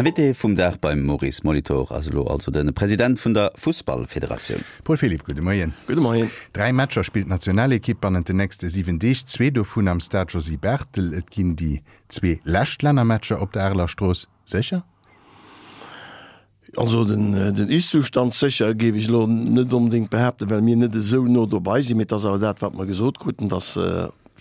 Invité vum Dag beim Maurice Molitor ass elo also de President vun der Fussballfederatioun. Paul Philipp, gudde Moien. Gudde Moien. Dräi Matcher spillt d'Nationalekipp bannent den nächste 7 Deeg, zwee dovun am Stade Josy Barthel. Et ginn déi zwee lescht Lännermatcher op der Areler Strooss. Sécher? Also den Ist-Zustand sécher géif ech elo net onbedéngt behaapten, well mir net esou no dobei sinn. Mee et ass awer dat, wat mer gesot kruten, dass,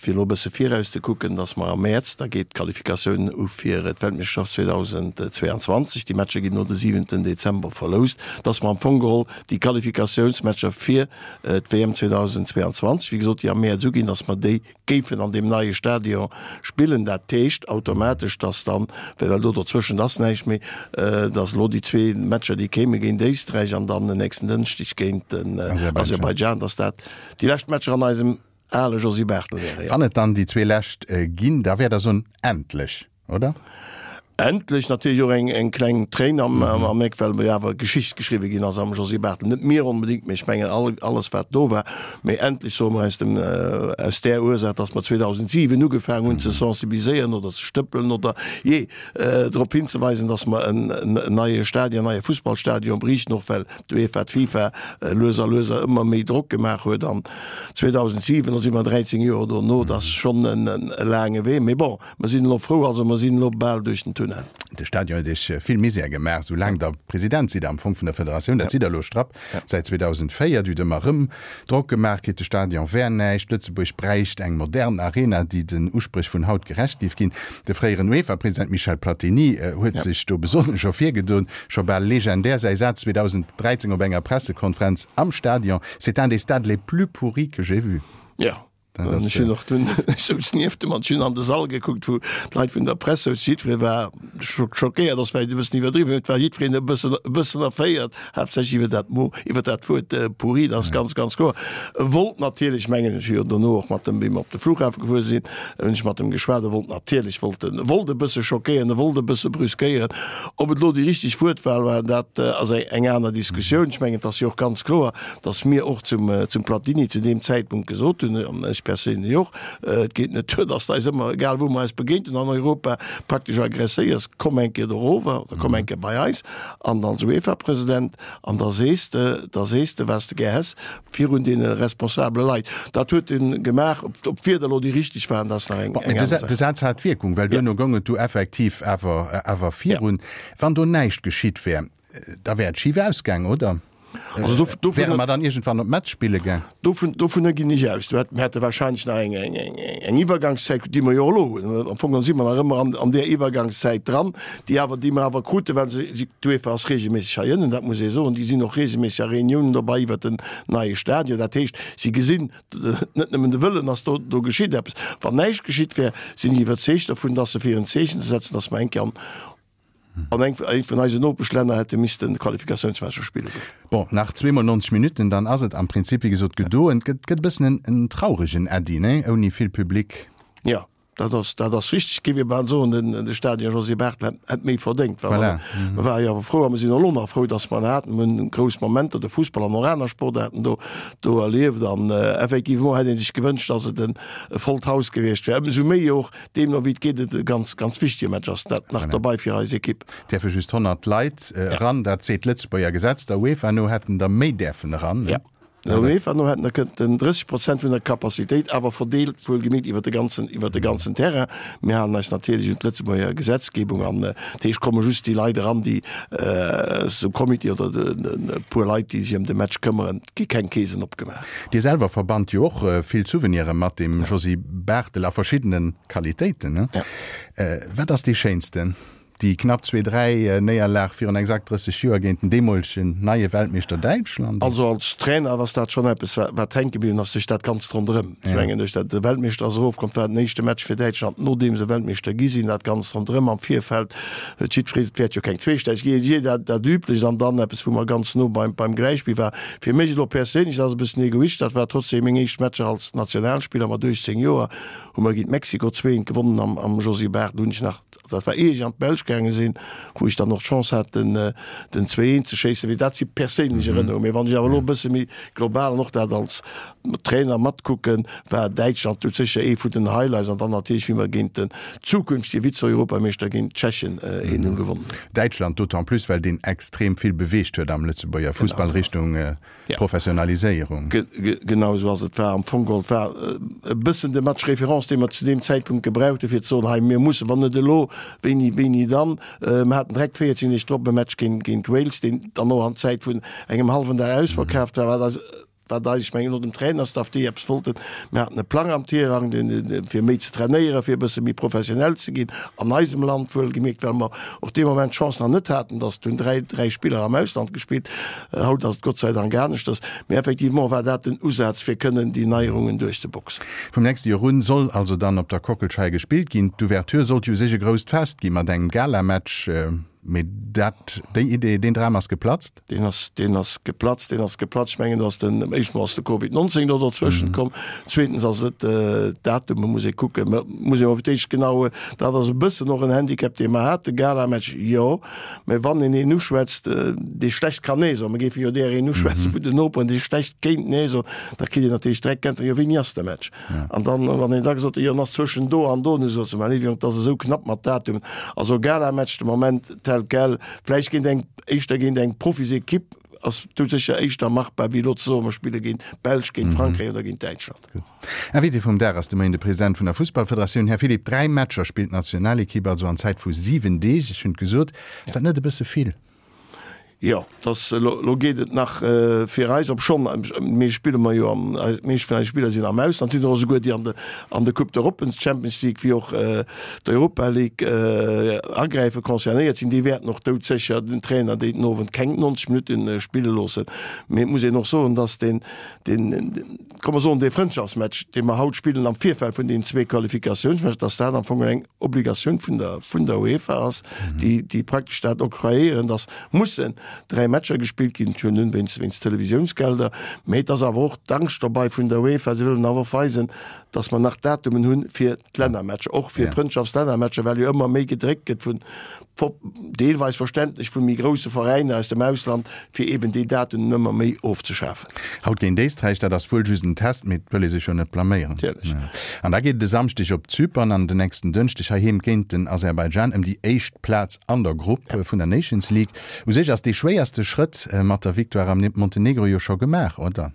fir elo e bësse viraus ze kucken, dass mer am Mäerz, da geet d'Qualifikatioun u fir d'Weltmeeschterschaft 2022, déi Matcher ginn elo de siwenten Dezember verloust, dass mer am Fong geholl déi Qualifikatiounsmatcher fir d'WM 2022, wéi gesot, déi am Mäerz uginn, dass mer déi géifen an deem neie Stadion spillen. Dat heescht automatesch, dass dann, well do dozwëschent ass näischt méi, dass elo déi zwee Matcher, déi kéime géint Éisträich an dann den nächsten Dënschdeg géint den Aserbaidschan, dass dat déi lescht Matcher an eisem ale Josy Barthel wären, jo. Wann et dann déi zwee lescht ginn, da wäert Der soen, endlech! oder? Endlech natierlech och eng kleng Tréin am Eck, well jo awer Geschicht geschriwwe ginn ass am Josy Barthel. Net mir onbedéngt, mee ech mengen alles wat do war. Mee endlech soe mer aus dem, aus där Ursaach, datt mer 2007 ugefaangen hunn ze sensibiliséieren oder ze stëppelen oder jee drop hinzeweisen, datt mer en neie Stadion, en neie Fussballstadion bräichten, och well d'UEFA, d'FIFA lues a lues ëmmer méi Drock gemaach huet. An 2007, da si mer 13 Joer dono, dat ass schonn e laange Wee. Mee bon, Mer sinn elo frou, also mer sinn elo bal duerch den Tunnel. De Stadion huet Iech vill Misär gemaach, sou laang Der President sidd am Fong vun der Federatioun. Dat sidd Der elo strapp säit 2004. Dir hutt ëmmer erëm Drock gemaach kritt, de Stadion wär näischt, Lëtzebuerg bräicht eng modern Arena, déi den Uspréch vun haut gerecht géif ginn. De fréieren UEFA-President Michel Platini huet sech do besonnesch ervirgedoen, scho bal legendär säi Saz 2013 op enger Pressekonferenz am Stadion, C'est un des stades les plus pourris que j'ai vus. Jo, Ech hunn och dunn, ech souz nieft dem an ech hunn an de Sall gekuckt, wou d'Leit vun der Press souzen. Jiddweree war schockéiert, ass vläicht e bëssen iwwerdriwwen, mee et war jiddwereen e bëssen, e bëssen erféiert, haaptsächlech iwwer dat Mot, iwwer dat Wuert pourri, dat ass ganz, ganz kloer. E wollt natierlech, mengen ech, jo dono och mat dem, wéi mer op de Flughafe gefuer sinn, hunn ech mat em geschwat, e wollt natierlech, wollt en, wollt e bësse schockéieren, e wollt e bësse brüskéieren. Ob et elo déi richteg Wuertwahl war, dat ass eng aner Diskussioun. Ech mengen, et ass jo och ganz kloer, dass mir och zum, zum Platini zu deem Zäitpunkt gesot hunn, an ech perséinlech och, Et geet net duer, dass de eis ëmmer, egal wou mer eis begéint hunn an Europa, praktesch aggresséiers, komm eng Kéier dorower oder komm eng Kéier bei eis an als UEFA-President an da sees de, da sees de, wat s de gär häss, virun deene responsabele Leit. Dat huet e gemaach. Ob, ob d'Wierder elo déi richteg waren, dat ass nach eng, eng aner Saach. De Saz hat Wierkung, well duerno goung et du effektiv awer, awer virun. Wann do näischt geschitt wär, Da wär et schif ausgaang, oder? Also do, dovun, Wäre mer dann iergendwann op Metz spille gaang? Dovun, dovunner ginn ech aus. Mir hätte wahrscheinlech nach eng, eng, eng, eng Iwwergangszäit, déi mer jo och elo hunn. Am Fong si mer nach ëmmer an, an där Iwwergangszäit dran, déi awer, déi mer awer kruten, well se, si, d'UEFA ass regelméisseg hei ënnen, dat muss ee soen. Déi sinn och regelméisseg a Reuniounen dobei iwwert den neie Stadion. Dat heescht, si gesinn net nëmmen de Wëllen ass do, do geschitt eppes. Wann näischt geschitt wär, sinn ech iwwerzeegt dovun, dass se fir en Zeechen ze setzen, dass mer eng Kéier an, An eng vun eisen Nopeschlänner hätte missten Qualifikatiounsmatcher spille goen. Bon, nach zweemol 90 Minutten, dann ass et am Prinzip, wéi gesot, gedoen. Et gëtt e bëssen en trauregen Äddi, nee? Ouni vill Public. Jo, dat ass, dat ass richteg. Et géif ee bal soen, den, de Stadion Josy Barthel hätt, hätt méi verdéngt. Well Voilà. mer ware jo awer frou a mer sinn och elo nach frou, datt mer en haten. Mer hunn grouss Momenter, de Fussball an och aner Sportaarten do, do erlieft. An effectivement hätt ee sech gewënscht, datt et en e vollt Haus gewiescht wär. Ëmsou méi och, Deemno wéi et geet et e ganz, ganz wichtege Match ass dat nach dobei fir eis Ekipp. Däerfe just 100 Leit eran, dat seet d'Lëtzebuerger Gesetz. Der UEFA no hätten der méi däerfen eran, ne? Jo, der UEFA no hätten der kënnten 30 Prozent vun der Capacitéit, awer verdeelt wuelgemierkt iwwer de ganzen, iwwer de ganzen Terrain. Mir halen eis natierlech un d'Lëtzebuerger Gesetzgebung an dat heescht, komme just déi Leit eran, déi aus dem Comité oder e puer Leit, déi sech ëm de Match këmmeren. Et gi keng Keesen opgemaach. Dir selwer verbannt jo och vill Souvenire mat dem Josy Barthel a verschiddene Qualitéiten. Ja. Wat ass déi schéinsten? Déi knapp zwee, dräi Néierlag virun exakt 30 Joer géint den deemolegen neie Weltmeeschter Däitschland? Also als Trainer ass dat schonn eppes, wat hänke bliwwen ass, duerch dat Ganzt ronderëm. Ech mengen, duerch dat de Weltmeeschter ass erofkomm, dat war den éischte Match fir Däitschland, nodeem se Weltmeeschter gi sinn. Dat Ganzt ronderëm am Virfeld huet jiddweree, et wäert jo keng Zweestäiz ginn, jee dat dat Üblecht an dann eppes, wou mer ganz no beim beim Gläichspill war. Fir mech elo perséinlech, dat ass e bëssen egoistesch, dat war trotzdeem meng éischt Matcher als Nationalspiller mat 18 Joer, hu mer géint Mexiko 2, 1 gewonnen am am Josy Barthel, hunn ech nach. Dat war ier ech an d'Belsch gaange sinn, wou ech dann och d'Chance hat den den 2, 1 ze schéissen. Mee dat si perséinlech Erënnerungen. Mee wann ech awer elo e bësse méi global an och dat als Trainer matkucken, war Däitschland do sécher ee vun den Highlights an dann natierlech wéi mer géint den zukünftege Vize-Europameeschter géint d'Tschechen 1, 0 gewonnen hunn. Däitschland d'autant plus, well deen extrem vill beweegt huet am Lëtzebuerger Fussball Richtung Professionaliséierung. Genau esou ass et. War am Fong geholl war e bëssen de Match référence, dee mer zu deem Zäitpunkt gebraucht hunn, fir ze soen, hei mir mussen, wann net elo, wéini, wéini dann? Mer haten direkt 14 Deeg drop e Match géint, géint Wales, deen dann och an Zäit vun engem hallwen Dag ausverkaaft war, wat eis, wat eis, ech mengen och dem Trainerstaff, déi eppes wollten, mir haten e Plang am Tirang, deen, fir méi ze trainéieren, fir e bësse méi professionell ze ginn an eisem Land, wuelgemierkt, well mer och dee Moment d'Chance nach net haten, datt hunn 3, 3 Spiller am Ausland gespillt. Haut ass et Gott sei Dank aneschters, mee effectivement war dat den Usaz, fir kënnen déi Neierungen duerchzeboxen. Vum nächste Joer un soll also dann op der Kockelscheier gespillt ginn. D'Ouverture sollt jo u sech e grousst Fest gi mat engem Galamatch, mee dat, déi Idee, deen Dram ass geplatzt? Deen ass, deen ass geplatzt, deen ass geplatzt. Ech mengen, do ass den, éischt mol ass de Covid 19 do derzwëschent komm, zweetens ass et d'Datume muss ee kucken, muss ee mol fir d'éischt genau, dat ass e bëssen och en Handicap, dee mer haten, Galamatch, jo. Mä wann een een uschwätzt, dee schlecht kann Nee soen, mer géife jo där een uschwätzen vun den Noperen, dee schlecht kéint Nee soen, da kritt een natierlech direkt d'Äntwert, Jo, wéini ass de Match? An dann, wann een da gesot huet, Jo, en ass zwëschen do an do, dann sot se, Ma léiw Jong, 't ass esou knapp mat Datumen. Also Galamatch de Moment tel quel, vläicht géint eng, éischter géint eng Profisequipe ass doudsécher éischter machbar, wéi elo ze soen, mer spille géint d'Belsch, géint Frankräich oder géint Däitschland. Gutt. Invité vum Dag ass de Moien de President vun der Fussballfederatioun, Här Philipp. 3 Matcher spillt d'Nationalekipp also an Zäit vu 7 Deeg. Ech hunn et gesot, ass dat net e bësse vill? Jo, dass elo geet et nach fir eis, obschonn mir spille mer jo am, d'meescht vun eise Spiller sinn am Ausland, sinn och esouguer déi an de an de Coupe d'Europe, d'Champions League wéi och d'Europa League agräifen, concernéiert sinn. Déi wäerten och doudsécher den Trainer déi den Owend keng 90 Minutte spille loossen. Mee et muss een och soen, dass deen deen, komm mer soen, dee Frëndschaftsmatch, dee mer haut spillen am Virfeld vun deenen zwee Qualifikatiounsmatcher, dass dat am Fong eng Obligatioun vun der, vun der UEFA ass, déi, déi praktesch dat octroyéieren, dass mussen dräi Matcher gespillt ginn, schon nun wéinst, wéinst Televisiounsgelder, mä et ass awer och d'Angscht dobei vun der UEFA, se wëllen awer och weisen, dass mer nach Datumen hunn fir d'Lännermatcher, och fir Frëndschaftslännermatcher, well jo ëmmer méi gedréckt gëtt vun, deelweis verständlech, vu méi grousse Veräiner aus dem Ausland, fir eben déi Datumen ëmmer méi ofzeschafen. Haut géint Éisträich, dat ass wuel just en Test, mee et wëll ee sech jo net blaméieren. Natierlech. An da geet et e Samschdeg op Zypern an den nächsten Dënschdeg heiheem géint den Aserbaidschan ëm déi éischt Plaz an der Grupp vun der Nations League. U sech ass dee schwéierste Schrëtt mat der Victoire am Montenegro jo scho gemaach, oder?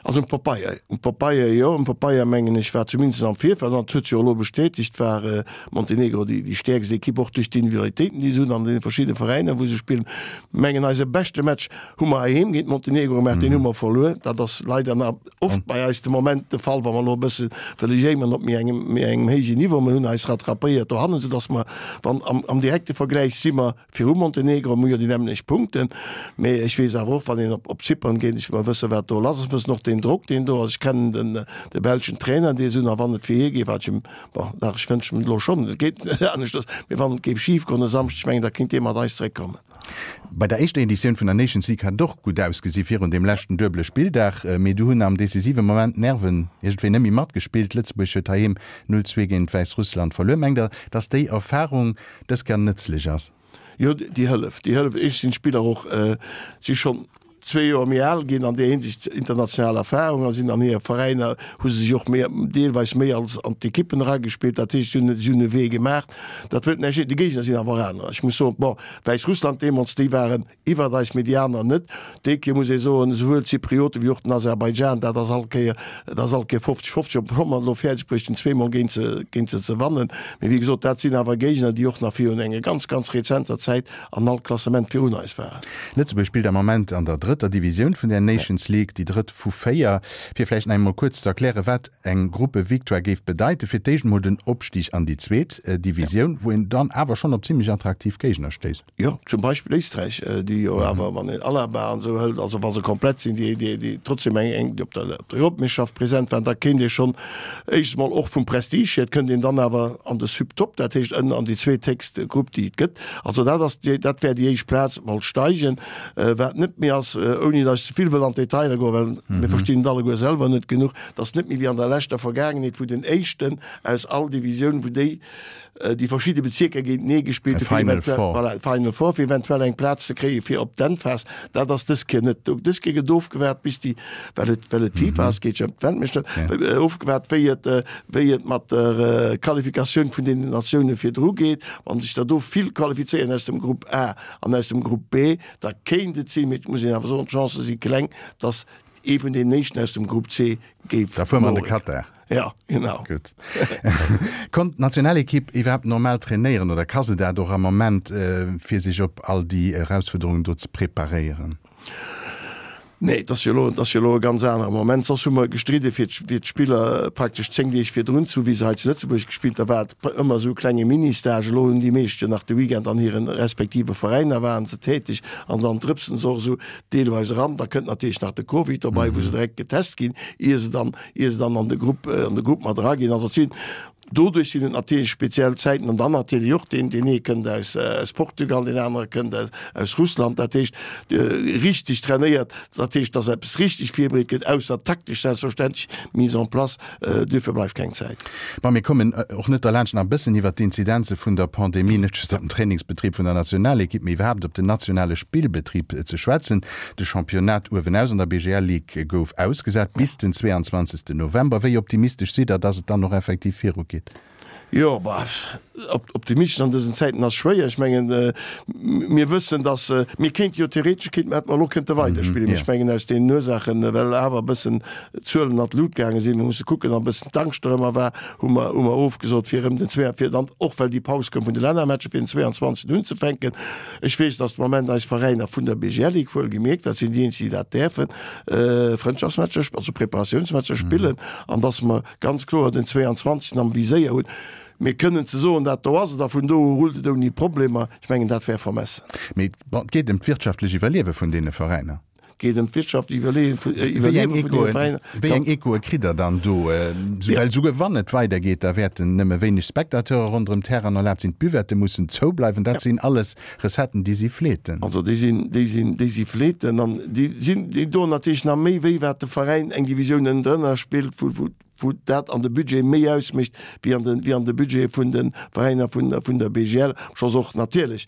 Also um Papeier, um Papeier jo, um Papeier mengen ech war zumindest am Virfeld, an dat huet sech och elo bestätegt, war Montenegro déi déi stäerkst Ekipp, och duerch d'Individualitéiten déi se hunn an deene verschiddene Veräiner wou se spillen. Mengen eise beschte Match hu mer heiheem géint Montenegro gemaach, deen hu mer verluer. Dat ass leider nach oft bei eis de Moment de Fall, wa mer elo e bësse wëlle jéimeren op méi engem méi engem héijen Niveau. Mer hunn eis rattrapéiert dohannen, soudass mer wann am am direkte Vergläich si mer Viru Montenegro hu jo déi nämmlecht Punkten, mee ech weess awer och, wann een op Zypern geet, ech mer wësse wat do lass ass, wëssen och deen Drock deen do ass. Ech kennen den de belschen Trainer dee se hunn a wann et fir hie géif, wat ech em, bon dach ech wënschen em et elo schonn, et geet net aneschters, mee wann et géif schif goen e Samschdeg, ech mengen da kéint dee mat eis zeréckkommen. Bei der éischter Editioun vun der Nations League hat et och gutt ausgesi virun deem leschten duebele Spilldag, mee du hunn am decisive Moment d'Nerven iergendwéi net méi matgespillt. Lëtzebuerg huet heiheem 0, 2 géint Wäissrussland verluer. Mengt Der, datt déi Erfarung dës Kéier nëtzlech ass. Jo, déi hëlleft, déi hëlleft. Éischtens sinn d'Spiller och, si schonn zwee Joer méi al ginn an där Hinsicht, international Erfahrung a sinn an hire Veräiner, hu se sech och méi, deelweis méi als an d'Ekippen eragespillt. Dat heescht, si hunn, si hunn e Wee gemaach. Dat wëllt näischt heeschen, déi Géigner sinn awer anerer. Ech muss soen, bon, Wäissrussland deemools, déi waren Iwwert eis, mee déi aner net. Déi Kéier muss ee soen, esouwuel d'Zyprioten wéi och den Aserbaidschan, dat ass all Kéier, dat ass all Kéier 50, 50, ob mer et elo fäerdeg bréichten, zweemol géint se, géint se ze wannen. Mee wéi gesot, dat sinn awer Géigner, déi och nach virun enger ganz, ganz rezenter Zäit an all Klassement virun eis waren. Lëtzebuerg spillt am Moment an der drëtter Divisioun vun der Nations League, déi drëtt vu 4. Fir vläicht nach eemol kuerz ze erklären, wat eng Gruppevictoire géif bedeiten, fir d'éischt emol den Opstig an déi zweet Divisioun, wou een dann awer schonn op zimmlech attraktiv Géigner stéisst. Jo, zum Beispill Éisträich, déi jo awer, wann een Alaba an esou hëlt, also wa se komplett sinn, déi, déi, déi trotzdem eng, eng, déi op der, op der Europameeschterschaft present waren, da kéint ee schonn éischts mol och vum Prestige hier, et kënnt een dann awer an de Subtop, dat heescht ënnen an déi zweethéchst Grupp, déi et gëtt. Also dat ass déi, dat wär déi éischt Plaz, mol steigen. Wat net méi ass, ouni datt ech ze vill wëll an d'Detailer goen, well mir verstinn et alleguer selwer net genuch, et ass net méi wéi an der leschter Vergaangenheet, wou den Éischten aus all Divisioun, wou déi. déi verschidde Bezierker géintenee gespillt hu fir eventuell, voilà, Final Four, fir eventuell eng Plaz ze kréie fir op d'Endphas. Dat ass dës Kéier net do. Dës Kéier gëtt ofgewaart bis déi, well et, well et d'FIFA ass, geet jo ëm d'Weltmeeschterschaft, ofgewaart wéi et, wéi et mat der Qualifikatioun vun deenen Natioune virdru geet. Wa sech der do vill qualifizéieren aus dem Grupp A an aus dem Grupp B, da kéint et sinn, mee et muss een awer soen, d'Chancë si kleng, datt ee vun deenen éischten aus dem Grupp C géif Da fuere mer an de Katar. Ja, genau. Gutt. Konnt d'Nationalekipp iwwerhaapt normal trainéieren oder ka se dat och am Moment, fir sech op all déi Erausfuerderungen do ze preparéieren? Nee, et ass jo elo, et ass jo elo e ganz anere Moment. Soss hu mer gestridde fir fir d'Spiller praktesch 10 Deeg virdrun zu, wéi se hei zu Lëtzebuerg gespillt, da war et ëmmer esou e klenge Mini-Stage. Elo hunn déi meescht jo nach de Weekend an hire respektive Veräiner waren se täteg an dann drëpsen se och esou deelweis eran. Da kënnt natierlech nach de Covid dobei, wou se direkt getest ginn, ier se dann, ier se dann an de Grupp, an de Grupp mat eraginn. Also et sinn, doduerch sinn et natierlech speziell Zäiten an dann natierlech och deen, deen ee kënnt aus, aus Portugal, deen anere kënnt aus, aus Russland. Dat heescht, richteg trainéiert, dat heescht, datt eppes richteg virbereet gëtt, ausser taktesch selbstverständlech Mise en place, duerfir bleift keng Zäit. Bon, mir kommen och net derlaanscht nach e bëssen iwwert d'Inzidenze vun der Pandemie, net just op den Trainingsbetrib vun der Nationalekipp, mee iwwerhaapt op den nationale Spillbetrib ze schwätzen. De Championnat uewenaus an der BGL Ligue gouf ausgesat bis den 22 November. Wéi optimistesch sidd Der, dass et dann och effektiv virugeet? Jo, bah, optimistesch an dësen Zäiten ass schwéier. Ech mengen, mir wëssen, dass mir kéinte jo theoretesch kéinte mer, hätte mer elo kënnte weiderspillen. Mee ech mengen, aus deenen Ursaachen, well awer e bëssen d'Zuelen an d'Lut gaange sinn, mir musse kucken, an e bëssen d'Angscht dorëmmer war, hu mer, hu mer ofgesot, fir erëm den zwee, fir dann, och well déi Paus koum vun de Lännermatcher, fir den 22. unzefänken. Ech weess, dass de Moment eis Veräiner vun der BGL Ligue, wuelgemierkt, dat sinn déi eenzeg, déi dat däerfen, Frëndschaftsmatcher, also Preparatiounsmatcher spillen an dass mer ganz kloer den 22. am Viséier hunn. Mir kënnen ze soen, dat do ass et a vun do u rullt et ouni Problemer, ech mengen, dat wär vermessen. Mee bon, et geet ëm d'wirtschaftlech Iwwerliewe vun deene Veräiner. Et geet ëm d'wirtschaftlech Iwwerliewe vun deene Veräiner. Wéi eng Echoe kritt Der dann do? Well souguer wann et weidergeet, da wäerten nëmme wéineg Spectateure ronderëm d'Terrainen erlaabt sinn, d'Buvette mussen zoubleiwen. Dat sinn alles Recetten, déi si fleeten. Also déi sinn, déi sinn, déi si fleeten an déi sinn, déi doen natierlech nach méi wéi, wat de Veräin eng Divisioun ënnendrënner spillt, wou, wou, wou dat an de Budget méi ausmécht wéi an de, wéi an de Budget vun de Veräiner vun, vun der BGL, obscho se och natierlech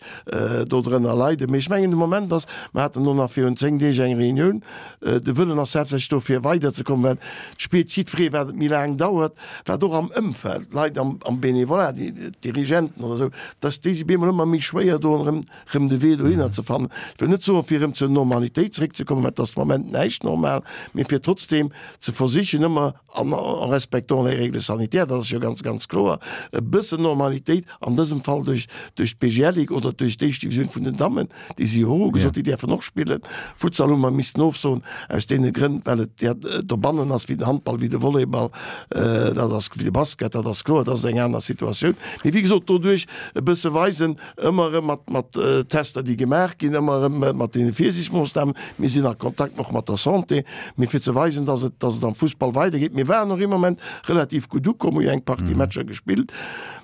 dodrënner leiden. Mee ech mengen de Moment ass, mer haten elo nach virun 10 Deeg eng Reunioun, de Wëllen ass haaptsächlech do fir weiderzekommen, well et spiert jiddweree wat et méi laang dauert, wat och am Ëmfeld, d'Leit am, am Bénévolat, déi d'Dirigenten oder esou, dass déi si bemol ëmmer méi schwéier doen erëm, rëm de Wee dohinner ze fannen. Ech wëll net soen, fir erëm zur Normalitéit zeréckzekommen, well et ass de Moment näischt normal, mee fir trotzdeem ze versichen ëmmer, an en respectant les règles sanitaires, dat ass jo ganz, ganz kloer, e bëssen Normalitéit, an dësem Fall duerch, duerch d'BGL Ligue oder duerch d'éischt Divisioun vun den Dammen, déi si jo och ugesot, déi däerfen och spillen. Futsal hu mer missten ofsoen, aus deene Grënn, well et ja dobannen ass wéi den Handball, wéi de Volleyball, dat ass, wéi de Basket, dat ass kloer, dat ass eng aner Situatioun. Mee wéi gesot, doduerch e bësse weisen, Ëmmer erëm mat, mat Tester, déi gemaach ginn, ëmmer erëm mat deene Virsiichtsmoossnamen. Mir sinn a Kontakt och mat der Santé, mee fir ze weisen, dass et, dass et am Fussball weidergeet. Mir waren och ee Moment relativ gutt ukomm, hu jo eng Partie Matcher gespillt.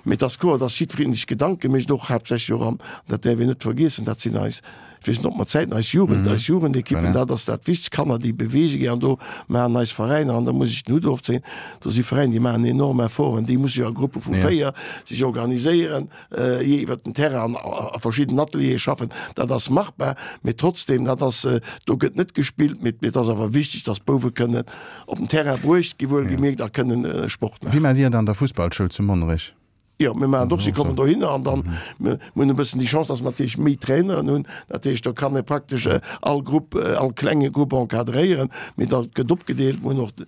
Mee et ass kloer, dass jiddweree sech Gedanke mécht, och haaptsächlech och an, dat däerf een net vergiessen, dat sinn eis, ech weess net, ob mer Zäiten, eis Jugend, eis Jugendekippen, dat ass dat Wichtegst, Kanner, déi beweege ginn. An do maachen eis Veräiner, an da muss ech den Hutt ofzéien, do si Veräiner, déi maachen enorm Efforten, déi musse jo a Gruppe vu 4 sech organiséieren, jee iwwert den Terrain an a verschidden Ateliere schaffen, dat ass machbar, mee trotzdem, dat ass, do gëtt net gespillt, mee et ass awer wichteg, dass d'Bouwe kënnen op den Terrain bruecht gi wuelgemierkt a kënnen Sport maachen. Wéi maacht Dir et an der Fussballschoul zu Monnerech? Jo, mir maachen et och, si kommen dohinner an dann, mir hunn e bëssen déi Chance, dass mer natierlech méi Traineren hunn, dat heescht, do kann ee praktesch all Grupp, all klenge Grupp encadréieren, mee dat gëtt opgedeelt, mir hunn och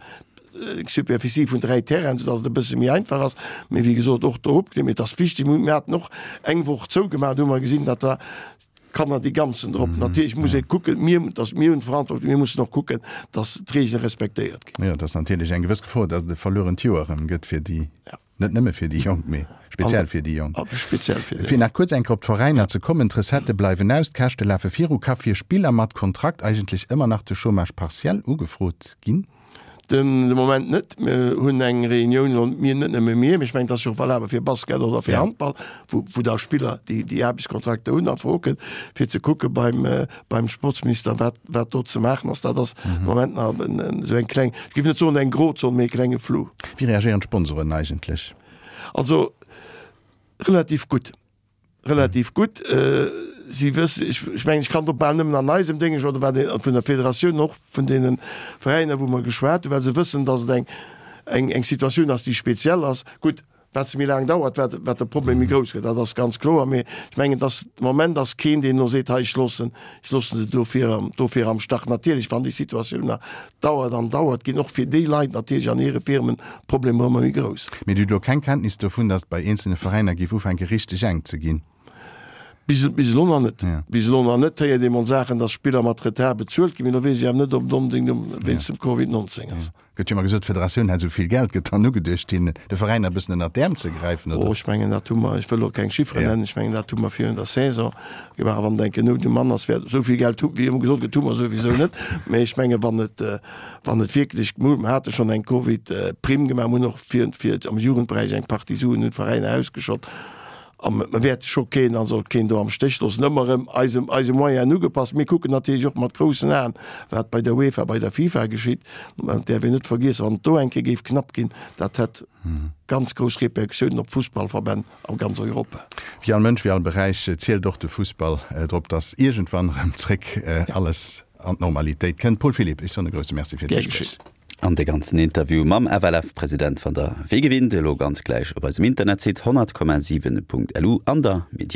eng Superficie vun 3 Terrainen, soudass et e bësse méi einfach ass. Mee wéi gesot, och do opgedeelt. Mee et ass wichteg, mir haten och eng Woch zougemaach, do hu mer gesinn, datt da d'Kanner déi ganzen drop. Natierlech muss ee kucken, mir, dass mir hunn d'Verantwortung, mir mussen och kucken, dass d'Reegele respektéiert ginn. Jo, et ass natierlech eng gewëss Gefor, datt et e verluerent Joer erëm gëtt fir déi. Net nëmme fir déi Jonk, mee speziell fir déi Jonk. Speziell fir déi. Fir nach kuerz eng Kéier op d'Veräiner ze kommen, D'Recettë bleiwen aus, d'Käschte lafe viru. Ka fir Spiller mat Kontrakt eigentlech ëmmer nach de Chômage partiel ugefrot ginn? De Moment net. Mir hunn eng Reunioun elo, mir, net nëmme mir, mee ech mengen, et ass jo och valabel fir Basket oder fir Handball, wou wou da Spiller, déi déi Aarbechtskontrakter hunn, a Fro kënnt, fir ze kucke beim beim Sportsminister, wat wat do ze maachen ass. Dat ass de Moment nach esou eng kleng, ech géif net soen eng Grozon, mee e klenge Flou. Wéi reagéieren d'Sponsoren eigentlech? Also. Relativ gutt. Relativ gutt. Si wëssen, ech mengen, ech kann do bal nëmmen an eisem Déngesch oder wat een vun der Federatioun, och vun deene Veräiner, wou mer geschwat hunn, well se wëssen, datt et eng, eng Situatioun ass, déi speziell ass. Gutt, wat se méi laang dauert, wat, wat de Problem méi grouss gëtt, dat ass ganz kloer. Mee ech mengen, datt de Moment ass keen, deen elo seet, hei ech loossen, ech loossen se dofir, dofir am Stach. Natierlech, wann déi Situatioun nach dauert an dauert, ginn och fir déi Leit natierlech an hire Firmen d'Problemer ëmmer méi grouss. Mee Dir hutt elo keng Kenntnis dovun, datt et bei eenzelne Veräiner géif ufänke richteg enk ze ginn? Bis, bis elo nach net. Bis elo nach net. Héiert ee mol Saachen, datt Spiller mat Retard bezuelt ginn, mee do weess ech awer net, ob et onbedéngt um, wéinst dem Covid 19 ass. Gëtt jo ëmmer gesot, d'Federatioun hätt esou vill Geld. Gëtt dann ugeduecht, hinnen, de Veräiner e bëssen ënnert d'Äerm ze gräifen, oder? Oh, ech mengen, dat hu mer, ech wëll elo keng Chifferen nennen, ech mengen, dat hu mer virun der Saison gemaach. A wann et eng Nout um Mann ass, wäert esou vill Geld hu, wéi ëmmer gesot gëtt, hu mer souwisou net. Mä ech mengen, wann et, wann et wierklech, mir hate schonn eng Covid-Primm gemaach, mir hunn och fir, fir am Jugendberäich eng Partie Suen un d'Veräiner ausgeschott. A mer wäerte scho keen, also keen do am Stéch loossen. Ëmmer erëm eise, eise Moyenen ugepasst. Mir kucken natierlech och mat groussen Aen, wat bei der UEFA, bei der FIFA geschitt. Mä et däerf een net vergiessen, wann et do eng Kéier géif knapp ginn, dat hätt ganz grouss Repercussiounen op d'Fussballverbänn a ganz Europa. Wéi all Mënsch, wéi all Beräich zielt och de Fussball drop, datt iergendwann erëm zréck alles an d'Normalitéit kënnt. Paul Philipp, ech soen e grousse Merci fir Gär d'Gespréich. geschitt. An de ganzen Interview mam FLF-President fannt der wéi gewinnt elo ganz gläich op eisem Internetsite 100,7.lu an der Mediathéik.